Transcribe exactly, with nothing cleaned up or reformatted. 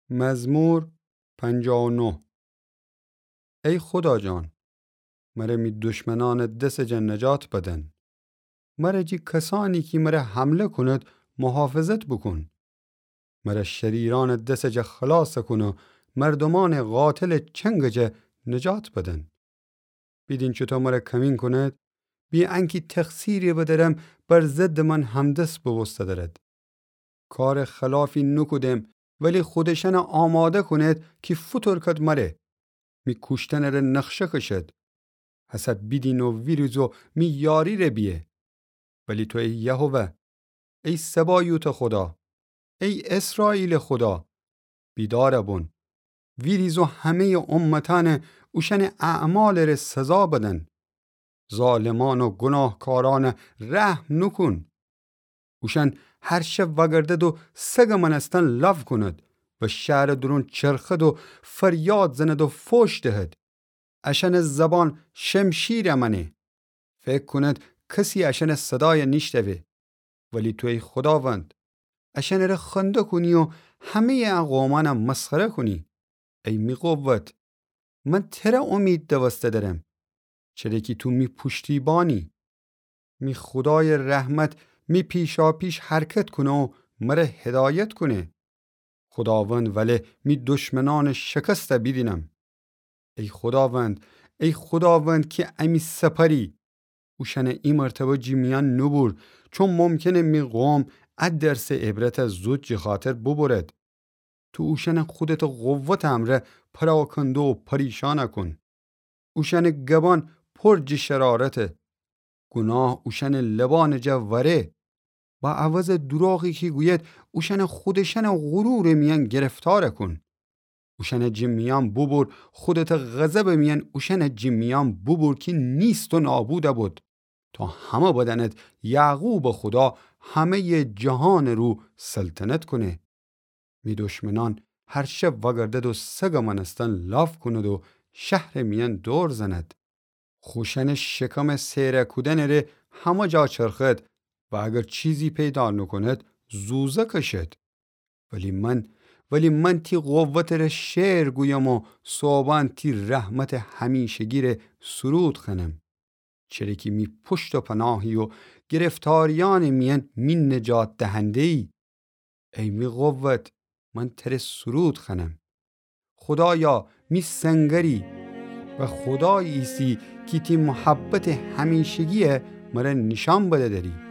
مزمور پنجاه و نه. ای خدا جان، مره می دشمنأنٚ دسٚ جا نجات بدن. مره جی کسأنی کی مره حمله کونید محافظت بوکون. مره شریرأنٚ دسٚ جا خلاص کون و مردومأنٚ قاتلٚ چنگٚ جا نجات بدن. بیدین چوطو مره کمین کونید، بی انکی تقصیری بدأرم بر ضدٚ من همدست بوبوسته دأرید. کارٚ خلافی نوکودم، ولی خو اشأنه آماده کونید کی فوتورکد مره. می کوشتنٚ ره نقشه کشید. هسه بیدین و ویریز و می یاری ره بیه. ولی تو ای یهوه، ای سبایوتٚ خودا، ای اسرائیلٚ خودا، بیدار بون. ویریز و همه‌یٚ امتأنه اوشأنٚ اعمالٚ ره سزا بدن. ظالمأن و گوناهکارأنه رحم نوکون. اوشأن هر شب وأگردد و سگٚ مأنستن لاف کونید و شهرٚ دورون چرخید و فریاد زنید و فوش دهید. اشأنٚ زبان شمشیر مأنه. فکر کونید کسی اشأنٚ صدای نیشتوه. ولی تو ای خوداوند، اشأنٚ ره خنده کونی و همه‌یٚ ا قومأنه مسخره کونی. ای می قوت، من تره امید دوسته دأرم، چره کی تو می پوشتیبانی. می خودایٚ رحمت می پیشاپیش حرکت کونه و مره هدایت کونه. خوداوند وله می دشمنأنٚ شکسته بیدینم. ای خوداوند، ای خوداوند کی امی سپری، اوشأنه ای مرتبه جی میأن نوبور، چون ممکنه می قوم ا درسٚ عبرته زود جی خاطر بوبورد. تو اوشأنه خودتٚ قوتٚ امرأ پراکنده و پریشان کون. اوشأنٚ گبان پر جی شرارته. گوناه اوشأنٚ لبأنٚ جا وأره. با عوضٚ دوراغی کی گوید، اوشأنه خودشأنٚ غرورٚ میأن گرفتار کون. اوشأنه جی میأن بوبور، خودتٚ غضبٚ میأن اوشأنه جی میأن بوبور کی نیست و نابود بود. تا همه بدأند یعقوبٚ خودا همه‌یٚ جهانٚ رو سلطنت کونه. می دشمنأن هر شب وأگردد و سگٚ مأنستن لاف کونید و شهرٚ میأن دور زنید. خوشأنٚ شکمٚ سیره کودنٚ ره همه جا چرخید و اگر چیزی پیدا نوکونید، زوزه کشید. ولی من، ولی من تی قوتٚ ره شعر گویم و صوبأن تی رحمتٚ همیشگی ره سرود خوأنم. چره کی می پشت و پناهی و گرفتاریأنٚ میأن می نجات دهنده‌یی. ای می قوت، من تره سرود خوأنم. خودایا، می سنگری و خودایی ایسی کی تی محبتٚ همیشگیه مره نیشأن بده دری.